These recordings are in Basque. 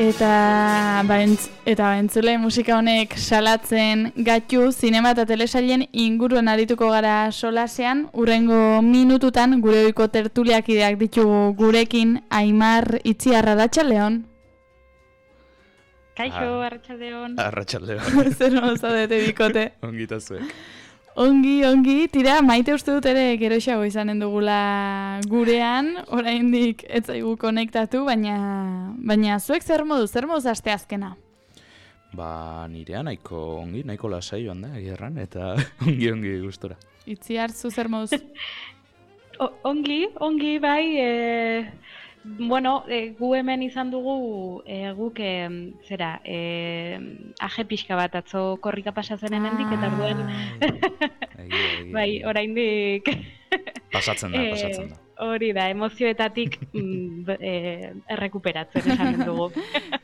Eta entzule musika honek salatzen gaitu zinema eta telesailen inguruan arituko gara solasean. Hurrengo minututan gure ohiko tertuliakideak ditugu gurekin. Aimar Itziar, arratsaldeon. Kaixo, arratsaldeon. Arratsaldeon. Zer zaudete bikote? Ongi eta zuek. Ongi, tira, Maite uste dut ere geroxago izanen dugula gurean, oraindik ez zaigu konektatu, baina zuek zer moduz asteazkena? Ba, nirea nahiko lasai joan da, egirran, eta ongi gustora. Itziar, zu zer moduz? Ongi, bai, gu hemen izan dugu guk aje pixka bat atzo korrika pasatzen hemendik eta orduen bai, oraindik pasatzen da. Hori da, emozioetatik errekuperatzen esan dugu.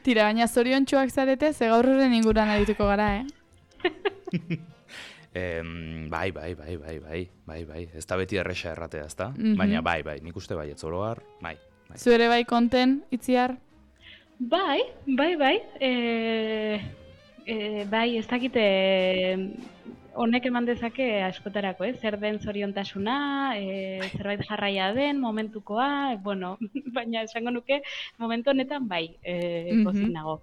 Tira, baina zoriontsuak zarete, ze gaur horren inguruan arituko gara, Bai. Ez da beti erresa erratea, ez da? Baina bai, nik uste bai, ez oroar, bai. Zu ere bai konten, Itziar? Bai. Bai, ez dakite honek eman dezake askotarako, zer den zoriontasuna, zerbait jarraia den, momentukoa, baina esango nuke momentu honetan bai, pozik nago.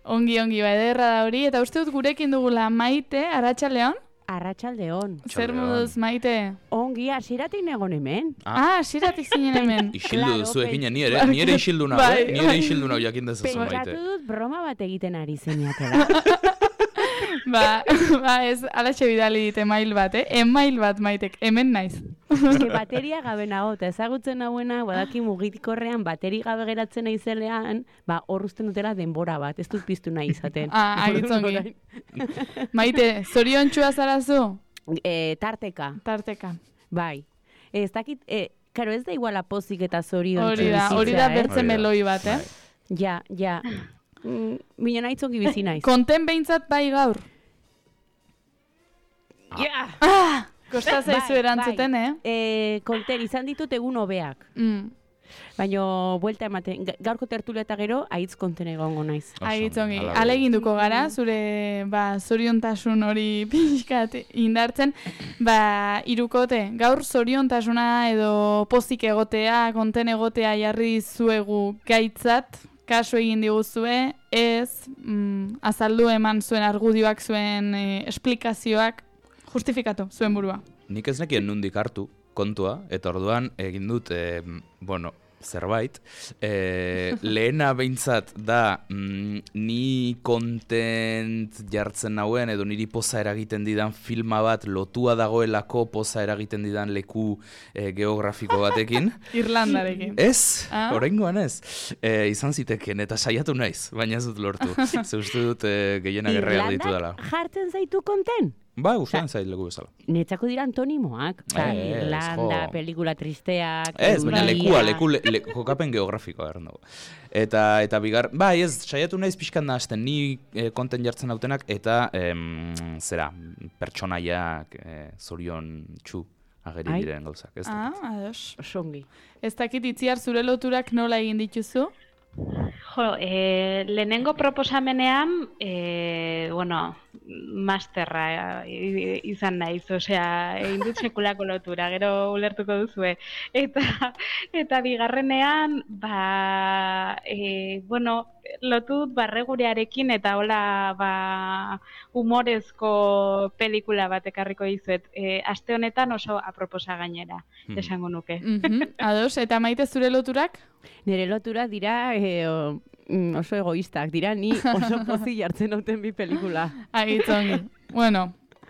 Ongi, bai, ederra da hori, eta uste dut gurekin dugula Maite, arratsaldeon? Arratsaldeon. Zer moduz, Maite? Ongi, hasieratik negon hemen. Hasieratik zinen hemen. Isildu duzu eginen, ni ere isildu nago, jakin dezazu, Maite. Pentsatu dut broma bat egiten ari zeniatela. Ez, alatxe bidali dit email bat, email bat, Maitek, hemen naiz. Bateria gabe nago, eta ezagutzen nagoena, badaki mugikorrean bateri gabe geratzen naizelean, hor uzten dutela denbora bat, ez dut piztu nahi izaten. Agitzongi. Maite, zoriontxua zarazu? Tarteka. Bai. Ez dakit, karo ez da iguala pozik eta zoriontxua. Hori da bertze meloi bat, Ja. Mina nahitzongi bizi naiz. Konten behintzat bai gaur? Kosta zaizu erantzuten, Konten, izan ditut egun hobeak. Baina, buelta ematen, gaurko tertulia eta gero, aitz konten egongo naiz. Aitzongi, aleginduko gara, zure zoriontasun hori pixkat indartzen. Hirukote, gaur zoriontasuna edo pozik egotea, konten egotea jarri zuegu gaitzat, kasu egin diguzue, ez azaldu eman zuen argudioak, zuen esplikazioak, justifikatu zuen burua. Nik ez nekien nundik hartu kontua, eta orduan egin dut, zerbait. Lehena behintzat da ni kontent jartzen nauen edo niri poza eragiten didan filma bat lotua dagoelako poza eragiten didan leku geografiko batekin. Irlandarekin. Ez, oraingoan ez. Izan ziteken eta saiatu naiz, baina ez dut lortu. Ze uste dut gehienak erreal ditu dela. Irlandak jartzen zaitu konten? Ustean zait leku bezala. Netzako dira antonimoak. Irlanda, pelikula tristeak. Ez, baina leku kokapen geografikoa erren dugu. Eta bigar, ez, saiatu naiz pixkan da hasten, ni konten jartzen dautenak, eta pertsonaiak zorion txu ageri diren gauzak. Ados. Songi. Ez dakit Itziar zure loturak nola egin dituzu? Lehenengo proposamenean, masterra izan naiz, egin dut sekulako lotura, gero ulertuko duzue. Eta bigarrenean, lotut barregurearekin eta hola humorezko pelikula bat ekarriko dizuet. Aste honetan oso aproposa gainera, esango nuke. Ados, eta Maite zure loturak? Nire loturak dira oso egoistak, dira ni oso pozik jartzen duten bi pelikula. Agitzongi.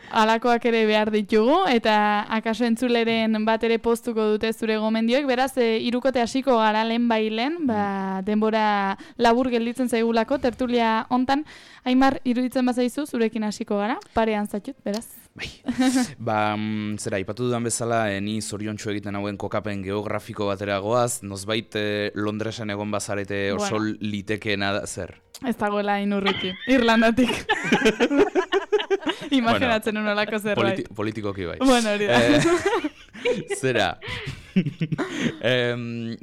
Alakoak ere behar ditugu, eta akaso entzuleren bat ere postuko dute zure gomendioek, beraz, hirukote hasiko gara lehen, denbora labur gelditzen zaigulako, tertulia hontan. Aimar, iruditzen bazaizu, zurekin hasiko gara, parean zatut, beraz. Ipatu dudan bezala, ni zoriontsu egiten hauen kokapen geografiko batera goaz, nozbait Londresen egon bazarete oso litekeena da, zer? Ez dagoela inurruti, Irlandatik. Imaginatzen unolako zerbait. Politikoki bai. Hori da. Zera,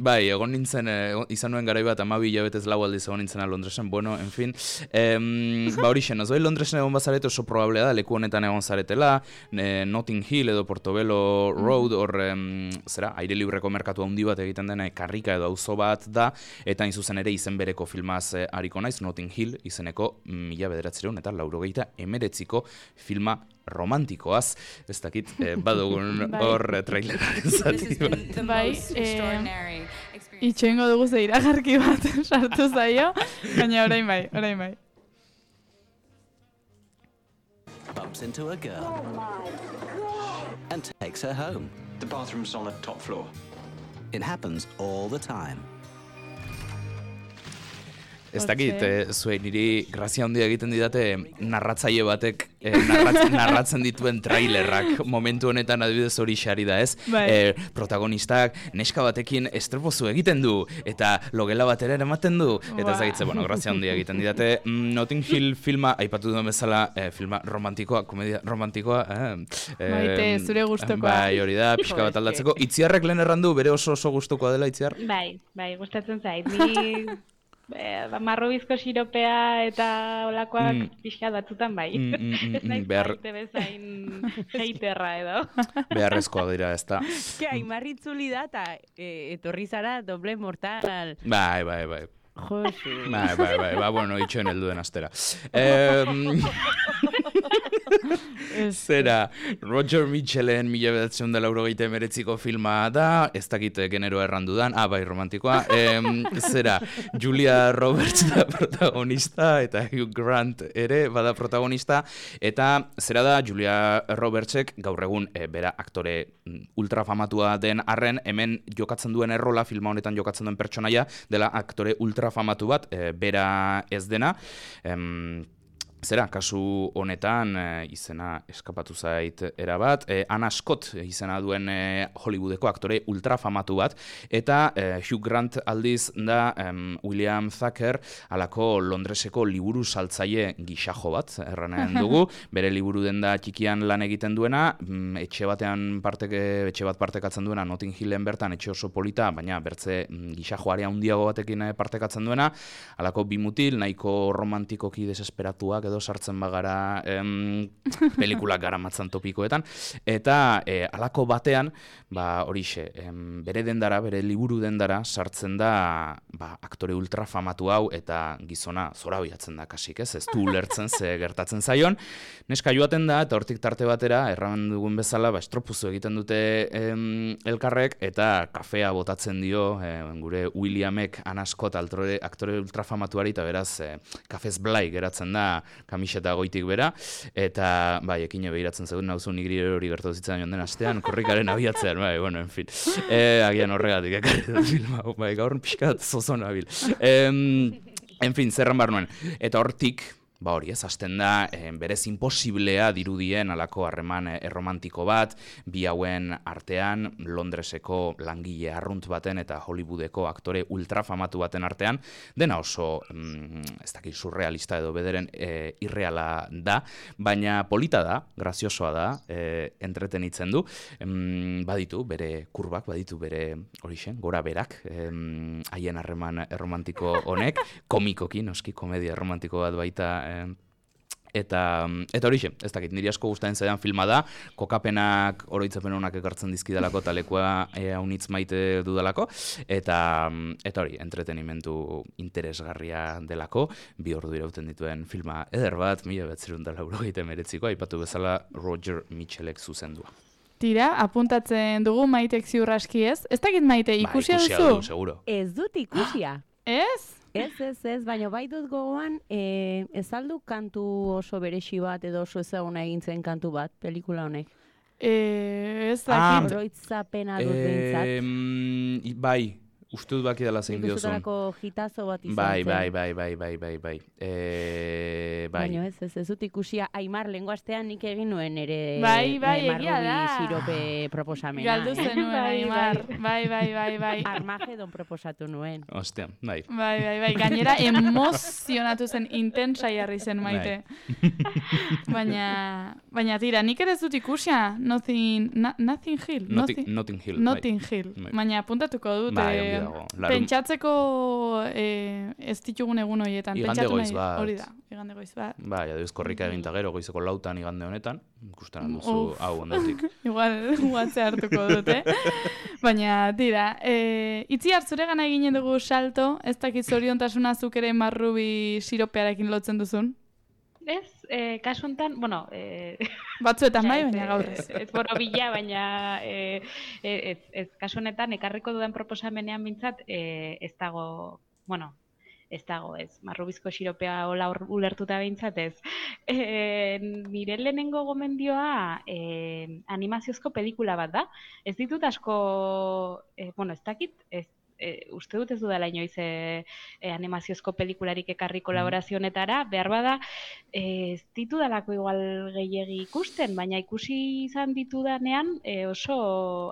Bai, egon nintzen, izan nuen garai bat 12 hilabetez 4 aldiz egon nintzena Londresen, bueno, en fin. Ba hori xen, ozoi Londresen egon bazarete oso probablea da, leku honetan egon zaretela, Notting Hill edo Portobello Road, hor, zera, aire libreko merkatu handi bat egiten dena, karrika edo auzo bat da, eta hain zuzen ere izen bereko filmaz hariko naiz, Notting Hill izeneko 1989ko filma romantikoaz, ez dakit, badugun hor traileraren zati bat. Bai, itxoingo dugu ze iragarki bat sartu zaio, baina orain bai. Bumps into a girl and takes her home. The bathroom's on the top floor. It happens all the time. Ez dakit, zuei niri grazia handia egiten didate narratzaile batek narratzen dituen trailerrak momentu honetan adibidez hori xari da, ez? Bai. Protagonistak neska batekin estropozu egiten du eta logela batera ematen du eta ez dakitze, bueno, grazia handia egiten didate Notting Hill filma, aipatu duen bezala filma romantikoa, komedia romantikoa Maite, zure gustokoa. Bai, hori da, pixka bat aldatzeko. Itziarrek lehen errandu, bere oso gustokoa dela Itziar? Bai, gustatzen zait. Ni marrobizko siropea eta olakoak pixka batzutan bai. Ez naiz maite bezain haterra edo. Beharrezkoa dira, ez da. Aimarritzuli da eta etorri zara doble mortal. Bai. Josu. Bai, bueno, itxoen helduen astera. Zera, Roger Mitchellen 1989ko filma da, ez dakit genero errandudan, bai, romantikoa. Zera, Julia Roberts da protagonista, eta Hugh Grant ere bada protagonista, eta zera da, Julia Robertsek gaur egun bera aktore ultrafamatua den arren, hemen jokatzen duen errola, filma honetan jokatzen duen pertsonaia, dela aktore ultrafamatu bat, bera ez dena. Zera, kasu honetan izena eskapatu zait erabat, Anna Scott izena duen Hollywoodeko aktore ultrafamatu bat, eta Hugh Grant aldiz da William Thacker alako Londreseko liburu saltzaile gixajo bat, erranen dugu, bere liburu denda txikian lan egiten duena, etxe bat partekatzen duena, Notting Hillen bertan etxe oso polita, baina bertze gixajoarea handiago batekin partekatzen duena, alako bimutil, nahiko romantikoki desesperatuak edo sartzen bagara pelikulak garamatzan topikoetan, eta alako batean, horixe, bere dendara, bere liburu dendara sartzen da aktore ultrafamatu hau eta gizona zorabiatzen da kasik, ez du ulertzen ze gertatzen zaion. Neska joaten da, eta hortik tarte batera, erramen dugun bezala, estropuzu egiten dute elkarrek, eta kafea botatzen dio gure Williamek Anna Scott aktore ultrafamatuari, eta beraz, kafez blai geratzen da kamiseta goitik bera, eta ekine behiratzen zegoen nauzu nigri hori gertatu zitzen joan den astean, korrikaren abiatzean, bueno, en fin. Agian horregatik, ekarri dut filma, gaur pixkat zozona bil. En fin, zerran bar nuen. Eta hortik, hori ez, hasten da, berez imposiblea dirudien alako harreman erromantiko bat, bi hauen artean, Londreseko langile arrunt baten eta Hollywoodeko aktore ultrafamatu baten artean, dena oso, ez dakit, surrealista edo bederen irreala da, baina polita da, graziosoa da, entretenitzen du, baditu bere kurbak, baditu bere horixen, gora berak, haien harreman erromantiko honek, komikoki, noski, komedia erromantiko bat baita, eta horixe, ez dakit, niri asko gustatzen zaidan filma da, kokapenak oroitzapen honak ekartzen dizkidalako talekua haunitz maite dudalako, eta hori, entretenimentu interesgarria delako, 2 ordu irauten dituen filma eder bat, 1989ko, aipatu bezala Roger Mitchellek zuzendua. Tira, apuntatzen dugu Maitek ziur aski ez? Ez dakit Maite, ikusia duzu? Ikusia du, seguro. Ez dut ikusia. Ez? Ez, baina bai dut gogoan, ez aldu kantu oso beresi bat edo oso ezaguna egin zen kantu bat, pelikula honek. Ez dakit. Oroitzapena dut behintzat. Bai, Uste dut baki dela zein diozun. Ikustutarako hitazo bat izan Bai. zen. Baina ez dut ikusia Aimar lehengo astean nik egin nuen ere Bai, egia da. Sirope proposamena. Galdu zenuen, Aimar. Bai. Armagedon proposatu nuen. Ostia, bai. Bai. Gainera emozionatu zen, intensa jarri zen Maite. Baina tira, nik ere ez dut ikusia Notting Hill. Notting Hill. Notting Hill. Baina apuntatuko dut. Pentsatzeko ez ditugun egun horietan. Igande goiz bat. Hori da, igande goiz bat. Bai, adioz korrika eginta gero, goizeko 4 igande honetan. Ikusten duzu hau ondotik. Igual, guatze hartuko dut, Baina, tira, itzi hartzure gana eginen dugu salto, ez dakit zoriontasuna zuk ere marrubi siropearekin lotzen duzun? Ez, kasu honetan, bueno... Batzuetan bai, baina gaur ez. Ez borobila, baina ez kasu honetan, ekarriko dudan proposamenean bintzat, ez dago, marrubizko siropea hola ulertuta behintzat ez. Nire lehenengo gomendioa animaziozko pelikula bat da. Ez ditut asko, ez dakit, uste dut ez dudala inoiz animaziozko pelikularik ekarri kolaborazio honetara, behar bada ez ditudalako igual gehiegi ikusten, baina ikusi izan ditudanean oso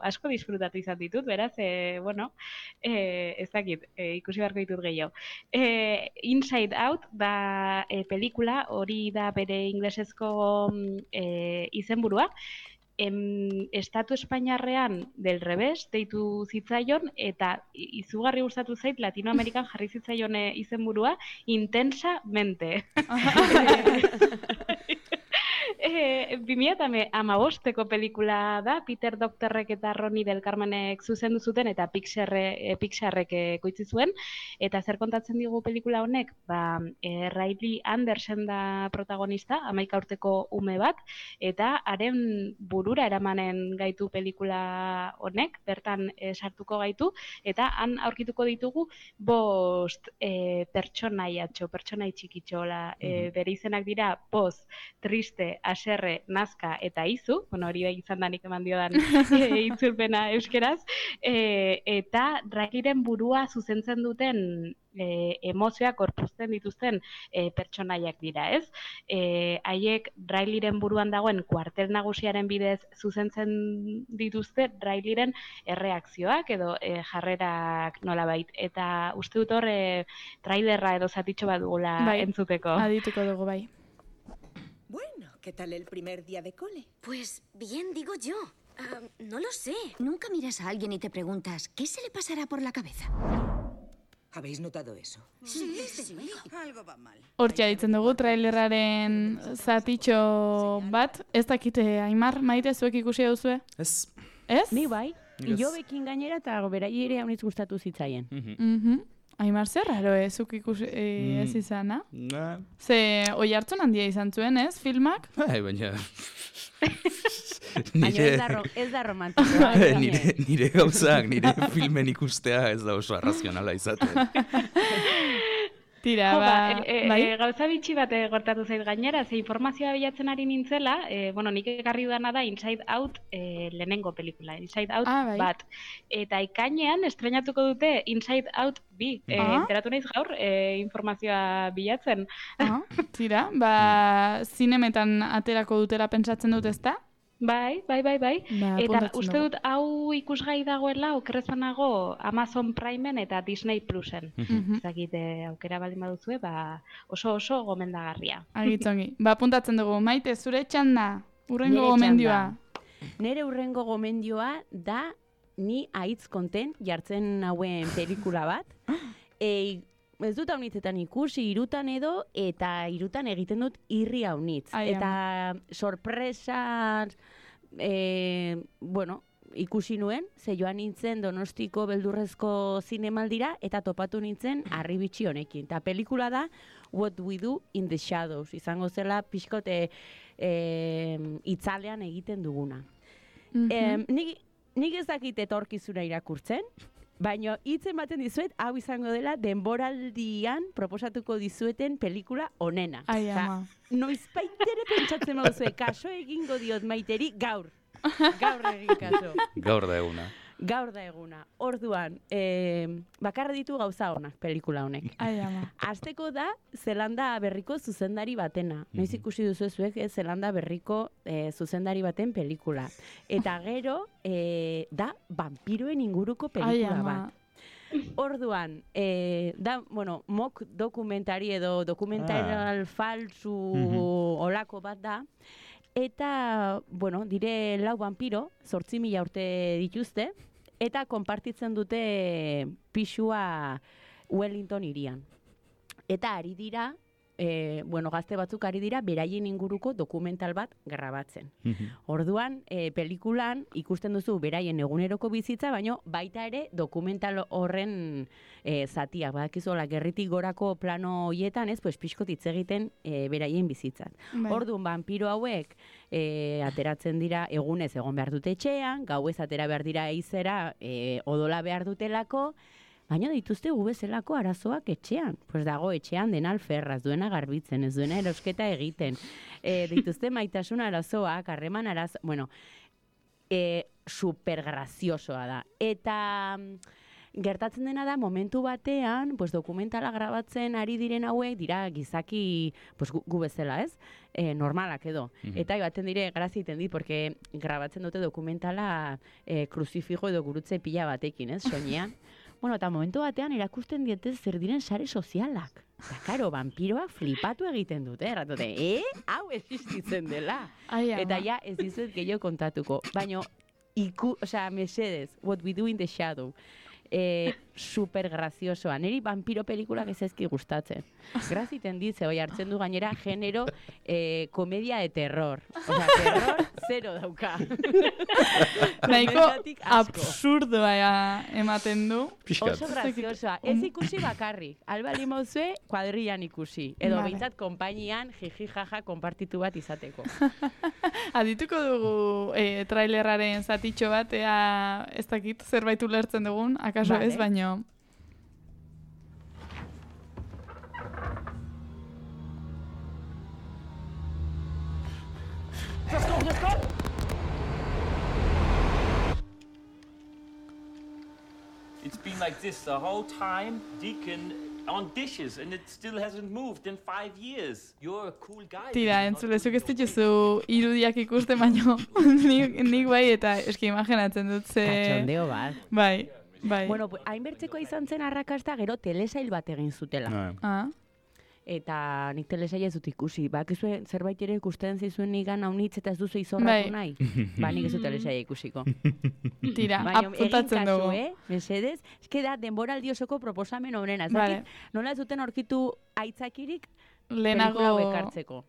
asko disfrutatu izan ditut, beraz, ez dakit, ikusi beharko ditut gehiago. Inside Out da pelikula, hori da bere inglesezko izenburua, Estatu Espainiarrean del revés deitu zitzaion eta izugarri gustatu zait Latinoamerikan jarri zitzaion izenburua Intensamente. 2015ko pelikula da, Peter Docterrek eta Ronnie del Carmenek zuzendu zuten eta Pixarrek ekoitzi zuen, eta zer kontatzen digu pelikula honek? Riley Anderson da protagonista, 11 urteko ume bat, eta haren burura eramanen gaitu pelikula honek, bertan sartuko gaitu, eta han aurkituko ditugu 5 pertsonai txikitxo, bere izenak dira poz, triste, haserre, nazka eta izu, hori da izan danik eman diodan itzulpena euskeraz, eta Rileyren burua zuzentzen duten emozioak gorpuzten dituzten pertsonaiak dira, ez? Haiek Rileyren buruan dagoen kuartel nagusiaren bidez zuzentzen dituzte Rileyren erreakzioak edo jarrerak nolabait. Eta uste dut hor trailerra edo zatitxo bat dugula entzuteko. Adituko dugu bai. Bueno, ¿qué tal el primer día de cole? Pues bien, digo yo. No lo sé. Nunca miras a alguien y te preguntas, ¿qué se le pasará por la cabeza? ¿Habéis notado eso? Sí. Algo va mal. Hortxe ditzen dugu trailerraren zatitxo bat. Ez dakite, Aimar, Maite, zuek ikusi duzue? Ez. Ez? Ni bai. Ilobekin gainera eta berai ere haunitz gustatu zitzaien. Aimar, zer raro zuk ikusi ez izana? Ze oi hartzun handia izan zuen, ez, filmak? Baina... Baina ez da romantikoa. Nire gauzak, nire filmen ikustea ez da oso arrazionala izaten. Tira, gauza bitxi bat gortatu zait gainera, ze informazioa bilatzen ari nintzela, nik ekarri dudana da Inside Out lehenengo pelikula, Inside Out bat. Eta ikainean estrenatuko dute Inside Out 2. Enteratu naiz gaur informazioa bilatzen. Tira, zinemetan aterako dutela pentsatzen dut, ezta? Bai. Eta uste dut hau ikusgai dagoela okerrez banago Amazon Primeen eta Disney Plusen. Zakit aukera baldin baduzue, oso gomendagarria. Agitzongi. Apuntatzen dugu, Maite, zure txanda, urrengo gomendioa. Nere urrengo gomendioa da ni aitz konten jartzen hauen pelikula bat. Ez dut haunitzetan ikusi, 3 edo, eta 3 egiten dut irri haunitz. Eta sorpresa, ikusi nuen, ze joan nintzen Donostiko beldurrezko zinemaldira, eta topatu nintzen harribitxi honekin. Eta pelikula da What We Do in the Shadows, izango zela pixkote itzalean egiten duguna. Nik ez dakit etorkizuna irakurtzen, baina hitzen baten dizuet, hau izango dela denboraldian proposatuko dizueten pelikula onena. Noizbaitere pentsatzen baduzue, kaso egingo diot Maiteri gaur. Gaur egin kaso. Gaur da eguna. Gaur da eguna. Orduan, bakarra ditu gauza honak pelikula honek. Ai, ama. Azteko da Zelanda berriko zuzendari batena. Noiz ikusi duzu zuek Zelanda berriko zuzendari baten pelikula. Eta gero da vampiroen inguruko pelikula bat. Orduan, da, bueno, mock dokumentari edo dokumental falsu olako bat da, eta, bueno, dire 4 vampiro, 8.000 urte dituzte, eta konpartitzen dute pisua Wellington hirian. Eta ari dira, gazte batzuk ari dira, beraien inguruko dokumental bat grabatzen. Orduan, pelikulan ikusten duzu beraien eguneroko bizitza, baino baita ere dokumental horren zatiak. Badakizola, gerritik gorako plano hoietan, pues pixkot hitz egiten beraien bizitzat. Orduan, vampiro hauek ateratzen dira egunez egon behar dute etxean, gauez atera behar dira eizera odola behar dutelako, baina dituzte bezalako arazoak etxean. Pues dago etxean dena alferraz, duena garbitzen, ez duena erosketa egiten. Dituzte maitasun arazoak, harreman arazo... Bueno, super graziosoa da. Eta gertatzen dena da, momentu batean, pues dokumentala grabatzen ari diren hauek, dira gizaki, pues gu bezala, ez? Normalak edo. Eta baten dire, graziten dit, porque grabatzen dute dokumentala kruzifijo edo gurutze pila batekin, ez? Soinean. Bueno, eta momentu batean erakusten dietez zer diren sare sozialak. Eta, karo, vampiroak flipatu egiten dute, erratote, hau existitzen dela. Eta ja, ez dizuet gehiago kontatuko. Baina, mesedez, What We Do in the Shadow. Super graziosoa. Neri vampiro pelikulak ez ezki gustatzen. Graziten ditze, hoi hartzen du gainera genero komedia de terror. Osea, terror zero dauka. Nahiko absurdoa ematen du. Oso graziosoa. Ez ikusi bakarrik. Alba limozue, kuadrillan ikusi. Edo bintzat konpainian jiji jaja konpartitu bat izateko. Adituko dugu trailerraren zatitxo bat, ez dakit zerbait ulertzen dugun, akaso ez, baino. Let's go! It's been like this the whole time, Deacon on dishes, and it still hasn't moved in 5 years. You're a cool guy. Tira, entzulezuk ez dituzu irudiak ikusten, baino nik bai, eta eski imaginatzen dut ze... Katxondeo bat. Bai. Bueno, hainbertzeko izan zen arrakasta gero telesail bat egin zutela. Eta nik telesaila ez dut ikusi. Bakizue zerbait ere ikusten zizuen nigan haunitz eta ez duzu izorratu nahi. Nik ez dut telesaila ikusiko. Tira, apuntatzen dugu. Mesedez, eske da denboraldi osoko proposamen honena. Nola ez duten aurkitu aitzakirik pelikula ekartzeko.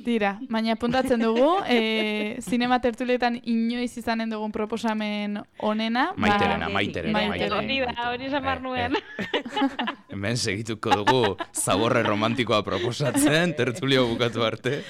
Tira, baina apuntatzen dugu, zinema tertulietan inoiz izanen dugun proposamen onena. Maiterena. Hori esamar nuen. Hemen segituko dugu zaborre romantikoa proposatzen, tertulio bukatu arte.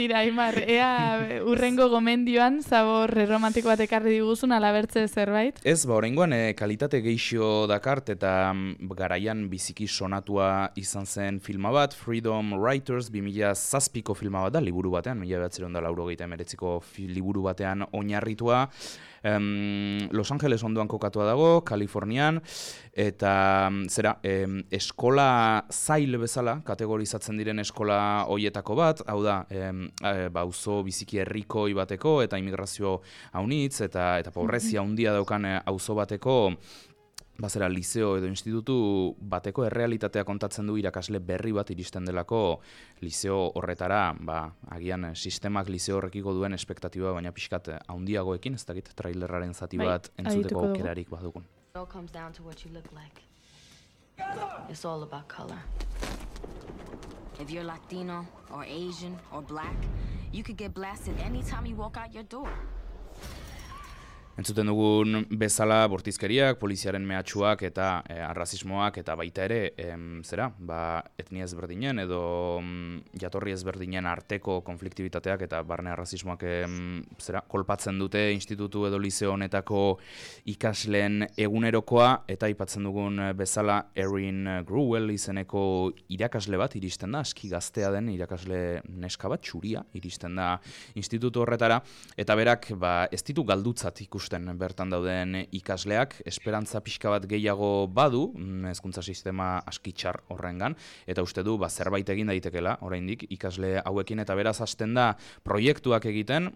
Tira, Aimar, ea urrengo gomendioan zaborre romantiko bat ekarri diguzun alabertze zerbait? Ez, oraingoan kalitate geixo dakart eta garaian biziki sonatua izan zen filma bat, Freedom Writers 2007ko filma bat da, liburu batean, 1989ko liburu batean oinarritua. Los Angeles ondoan kokatua dago, Kalifornian, eta eskola zail bezala, kategorizatzen diren eskola hoietako bat, hau da, auzo biziki herrikoi bateko, eta immigrazio haunitz, eta pobrezia handia daukan auzo bateko, liceo edo institutu bateko errealitatea kontatzen du irakasle berri bat iristen delako liceo horretara, agian sistemak liceo horrekiko duen espektatiba baina pixkat handiagoekin, ez dakit trailerraren zati bat entzuteko aukerarik badugun. It all comes down to what you look like. It's all about color. If you're Latino or Asian or black, you could get blasted anytime you walk out your door. Entzuten dugun bezala bortizkeriak, poliziaren mehatxuak eta arrazismoak eta baita ere, etnia ezberdinen edo jatorri ezberdinen arteko konfliktibitateak eta barne arrazismoak kolpatzen dute institutu edo liceo honetako ikasleen egunerokoa, eta aipatzen dugun bezala Erin Gruwell izeneko irakasle bat iristen da, aski gaztea den irakasle neska bat, txuria iristen da institutu horretara, eta berak ez ditu galdutzat ikusten ikusten bertan dauden ikasleak, esperantza pixka bat gehiago badu, hezkuntza sistema askitxar horrengan, eta uste du zerbait egin daitekela, oraindik ikasle hauekin, eta beraz hasten da proiektuak egiten,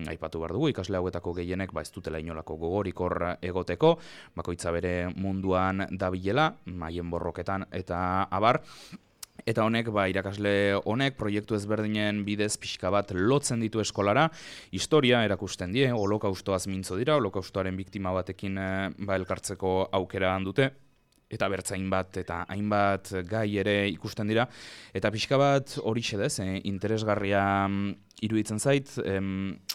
aipatu behar dugu, ikasle hauetako gehienek ez dutela inolako gogorik hor egoteko, bakoitza bere munduan dabilela, haien borroketan eta abar. Eta honek, irakasle honek, proiektu ezberdinen bidez pixka bat lotzen ditu eskolara, historia erakusten die, holokaustoaz mintzo dira, holokaustoaren biktima batekin elkartzeko aukera dute, eta bertzain bat eta hainbat gai ere ikusten dira, eta pixka bat hori xedez, interesgarria iruditzen zait,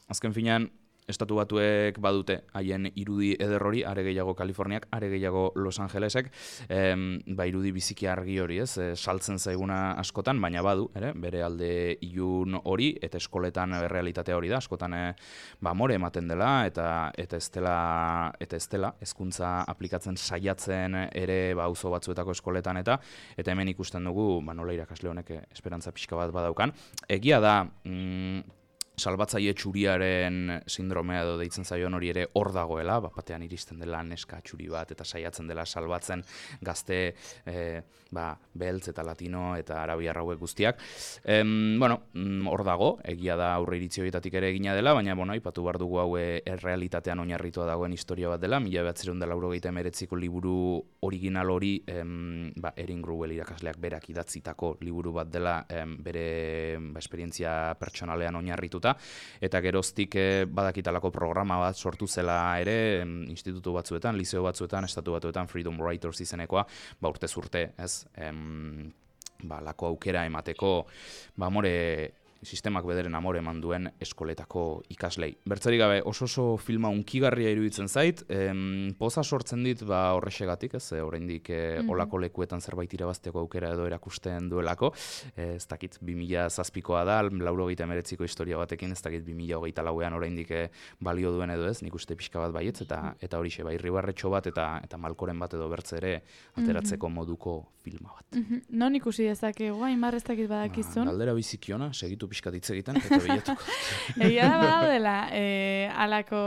azken finean, Estatu Batuek badute haien irudi eder hori, are gehiago Kaliforniak, are gehiago Los Angelesek, irudi biziki argi hori, saltzen zaiguna askotan, baina badu, bere alde ilun hori, eta eskoletan realitatea hori da, askotan amore ematen dela, eta ez dela, hezkuntza aplikatzen saiatzen ere auzo batzuetako eskoletan, eta hemen ikusten dugu, nola irakasle honek esperantza pixka bat badaukan. Egia da, salbatzaile txuriaren sindromea edo deitzen zaion hori ere hor dagoela, batean iristen dela neska txuri bat eta saiatzen dela salbatzen gazte beltz eta latino eta arabiar hauek guztiak. Hor dago, egia da aurre iritzi horietatik ere egina dela, baina aipatu behar dugu hau errealitatean oinarritua dagoen historia bat dela, 1989ko liburu original hori Erin Gruwell irakasleak berak idatzitako liburu bat dela bere esperientzia pertsonalean oinarrituta, eta geroztik badakitalako programa bat sortu zela ere, institutu batzuetan, liceo batzuetan, estatu batuetan, Freedom Writers izenekoa, urtez urte, lako aukera emateko, sistemak bederen amore eman duen eskoletako ikaslei. Bertzerik gabe, oso filma unkigarria iruditzen zait, poza sortzen dit horrexegatik, oraindik olako lekuetan zerbait irabazteko aukera edo erakusten duelako, ez dakit 2007koa da, 1989ko historia batekin, ez dakit 2024an oraindik balio duen edo ez, nik uste pixka bat baietz, eta horixe, irribarretxo bat eta malkoren bat edo bertze ere ateratzeko moduko filma bat. Non ikusi dezakegu, hainbar ez dakit badakizun? Galdera bizikiona, segitu pixkat hitz egiten, eta bilatuko. Egia da badaudela, alako,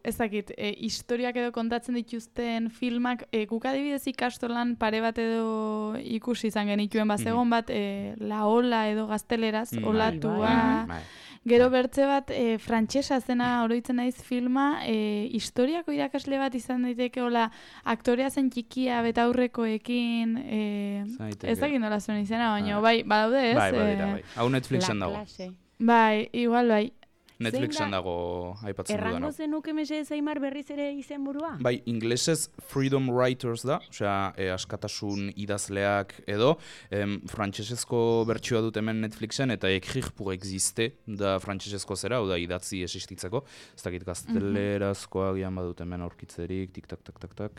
ez dakit, historiak edo kontatzen dituzten filmak, guk adibidez ikastolan pare bat edo ikusi izan genituen bazegon bat, La Ola edo gazteleraz, olatua. Gero bertze bat, frantsesa zena oroitzen naiz filma, historiako irakasle bat izan daiteke, aktorea zen txikia betaurrekoekin, ez dakit nola zuen izena, baina badaude ez? Bai. Hau Netflixen dago. Bai, igual bai. Netflixen dago aipatzen dudan. Errango zenuke mesedez Aimar berriz ere izenburua? Bai, inglesez Freedom Writers da, askatasun idazleak edo, frantsesezko bertsioa dut hemen Netflixen, eta Écrire pour exister da frantsesezko zera, da idatzi existitzeko, ez dakit gaztelerazkoa gian badut hemen aurkitzerik, tik-tak.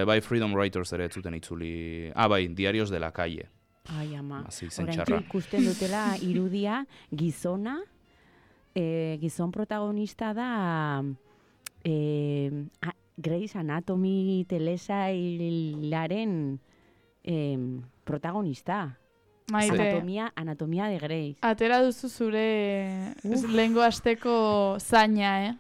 Bai, Freedom Writers ere ez zuten itzuli, bai, Diarios de la Calle. Ai, ama, oraintxe ikusten dutela irudia gizona, gizon protagonista da Grey's Anatomy telesailaren protagonista. Anatomia de Grey. Atera duzu zure lehengo asteko zaina,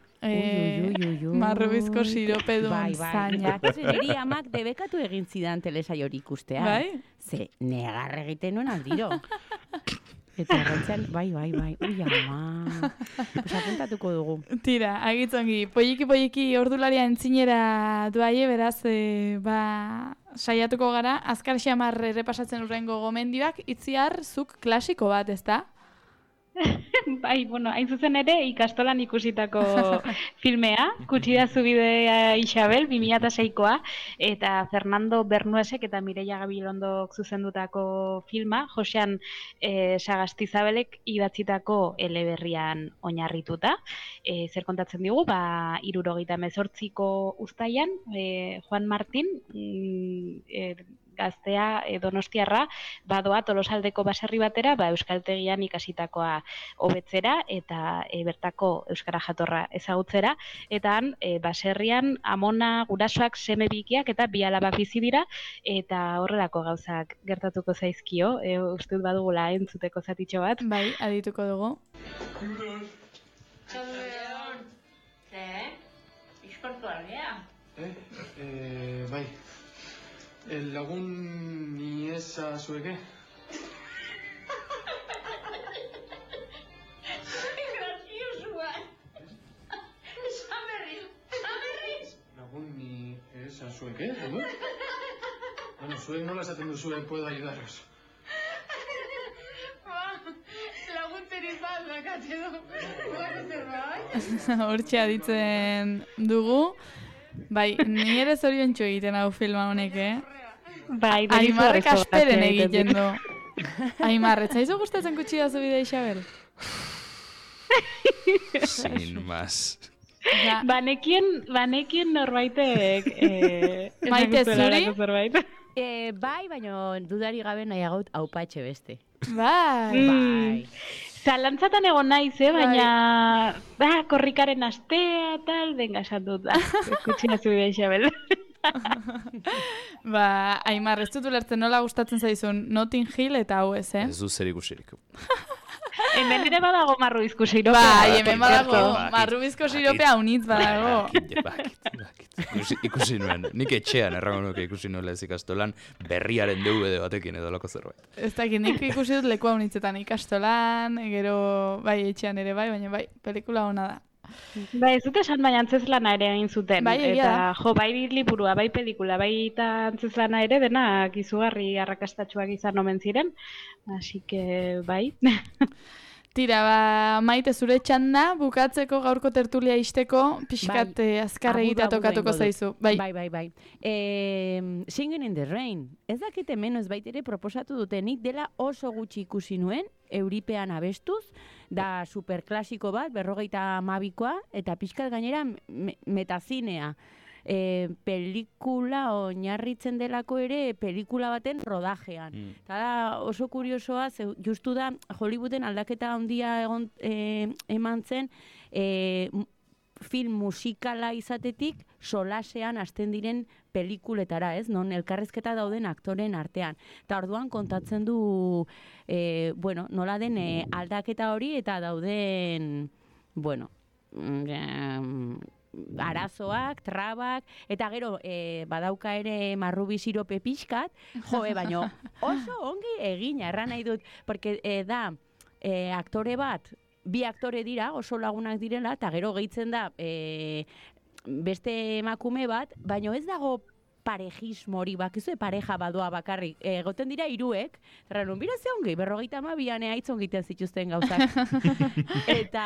marrobizko sirope duen zaina. Niri amak debekatu egin zidan telesail hori ikustea. Bai? Ze negar egiten nuen aldiro. Eta errantzen, bai, ui ama, apuntatuko dugu. Tira, agitzongi, polliki ordularia entzinera duaie, beraz, saiatuko gara, azkar xamar errepasatzen urrengo gomendioak, itziar zuk klasiko bat, ez da? Bai, hain zuzen ere ikastolan ikusitako filmea, Kutsidazu bidea Isabel, 2006koa, eta Fernando Bernuesek eta Mireia Gabilondok zuzendutako filma, Josean Sagastizabelek idatzitako eleberrian oinarrituta. Zer kontatzen digu, 1978ko uztailan, Juan Martín, gaztea Donostiarra badoa Tolosaldeko baserri batera euskaltegian ikasitakoa hobetzera eta bertako euskara jatorra ezagutzera, eta han baserrian amona, gurasoak, seme bikiak eta bi alabak bizi dira, eta horrelako gauzak gertatuko zaizkio, uste dut badugula entzuteko zatitxo bat. Bai, adituko dugu. zalea. Bai. Lagun ni eza zueke? Graziosua. Esan berriz. Lagun ni eza zueke, edo? Bueno, zuek nola esaten duzue puedo ayudaros. Laguntzerik bat, bakatxe du. Zerbait? Hortxe aditzen dugu. Bai, ni ere zoriontsu egiten hau filma honek, Bai, Aimarrek asperen egiten du. Aimar, ez zaizu gustatzen kutxia zu bidea, Isabel? Sin más. Banekien norbaitek... Maite, zuri? Bai, baina dudari gabe nahiagot aupatxe beste. Bai. Zalantzatan egon naiz, baina... korrikaren astea, tal, benga, esan dut da. Kutxina zubidea, Isabel. Aimar, ez dut ulertzen nola gustatzen zaizun Notting Hill eta hau ez, Ez du zer ikusirik. Hemen ere badago marrubizko siropea. Bai, hemen badago marrubizko siropea unitz badago. Bakit. Ikusi nuen, nik etxean errango nuke ikusi nuela ez ikastolan berriaren DVD batekin edo lako zerbait. Ez dakit, nik ikusi dut lekua unitzetan ikastolan, gero bai etxean ere bai, baina bai, pelikula ona da. Bai, ez dut esan baina antzeslana ere egin zuten. Bai, egia da. Eta bai liburua, bai pelikula, bai eta antzeslana ere denak izugarri arrakastatsuak izan omen ziren. Así que bai. Tira, Maite, zure txanda, bukatzeko gaurko tertulia isteko, pixkat azkar egitea tokatuko zaizu. Bai. Singing in the Rain. Ez dakite menos baitere proposatu dutenik dela oso gutxi ikusi nuen, Euripean abestuz, da superklasiko bat, 52koa, eta pixkat gainera metazinea. Pelikula oinarritzen delako ere pelikula baten rodajean. Eta da oso kuriosoa, justu da Hollywooden aldaketa handia eman zen film musikala izatetik solasean hasten diren pelikuletara, ez? Non elkarrezketa dauden aktoren artean. Eta orduan kontatzen du nola den aldaketa hori eta dauden arazoak, trabak, eta gero badauka ere marrubi sirope pixkat, baino oso ongi egina, erran nahi dut, porque da aktore bat, bi aktore dira, oso lagunak direla, eta gero gehitzen da beste emakume bat, baino ez dago parejismo hori, bakizu pareja badoa bakarrik. Egoten dira hiruek, zerranun, bira ze ongi, 52an aitzon egiten zituzten gauzak. Eta,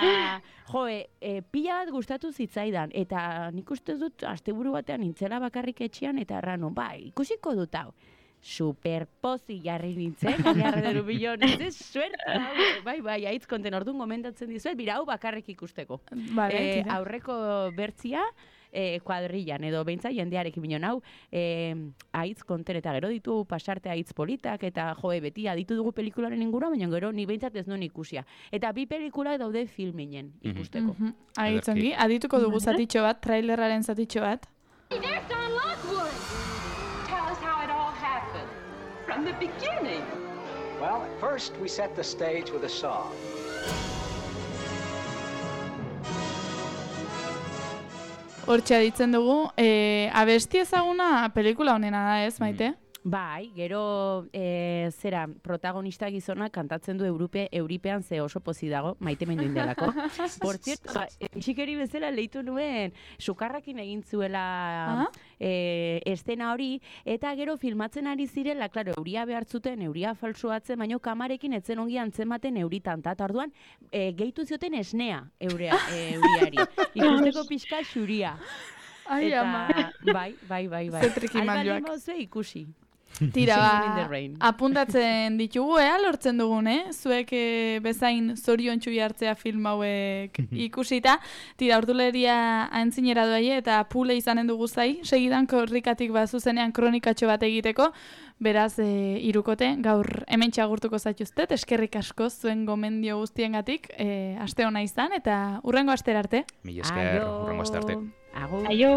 pila bat gustatu zitzaidan, eta nik uste dut asteburu batean nintzela bakarrik etxean, eta erranun, ikusiko dut hau. Superpozi jarri nintzen, jarrederu bilion, ez suerte, bai, aitz konten orduan gomendatzen dizuet, bira hau bakarrik ikusteko. Aurreko bertzia, kuadrillan, edo behintzat jendearekin binon hau, aitz konten, eta gero ditu pasarte aitz politak, eta beti aditu dugu pelikularen ingura, baina gero ni behintzat ez nuen ikusia. Eta bi pelikula daude filminen ikusteko. Aitzongi, adituko dugu zatitxo bat, trailerraren zatitxo bat. From the beginning. Well, at first we set the stage with a song. Hortxe aditzen dugu, abesti ezaguna pelikula honena da ez, Maite? Bai, gero protagonista gizona kantatzen du Euripean ze oso pozi dago, Maite mendu indelako. Por cierto, txikeri bezala leitu nuen, sukarrakin egin zuela estena hori, eta gero filmatzen ari zirela, klaro, euria behartzuten, euria falsuatzen, baino kamarekin etzen ongi antzematen euritan, eta orduan gehitu zioten esnea euriari. Ikusteko pixka xuria. Ai, ama. Bai. Zetriki manjoak. Alba limo ikusi. Tira, apuntatzen ditugu, lortzen dugun, zuek bezain zoriontsu jartzea film hauek ikusita. Tira, orduleria aintzinera doai eta pule izanen dugu zai, segidan korrikatik zuzenean kronikatxo bat egiteko. Beraz, hirukote, gaur hemen txagurtuko zaituztet, eskerrik asko zuen gomendio guztiengatik, aste hona izan, eta hurrengo astera arte. Mila esker, hurrengo aste arte. Agur. Aio.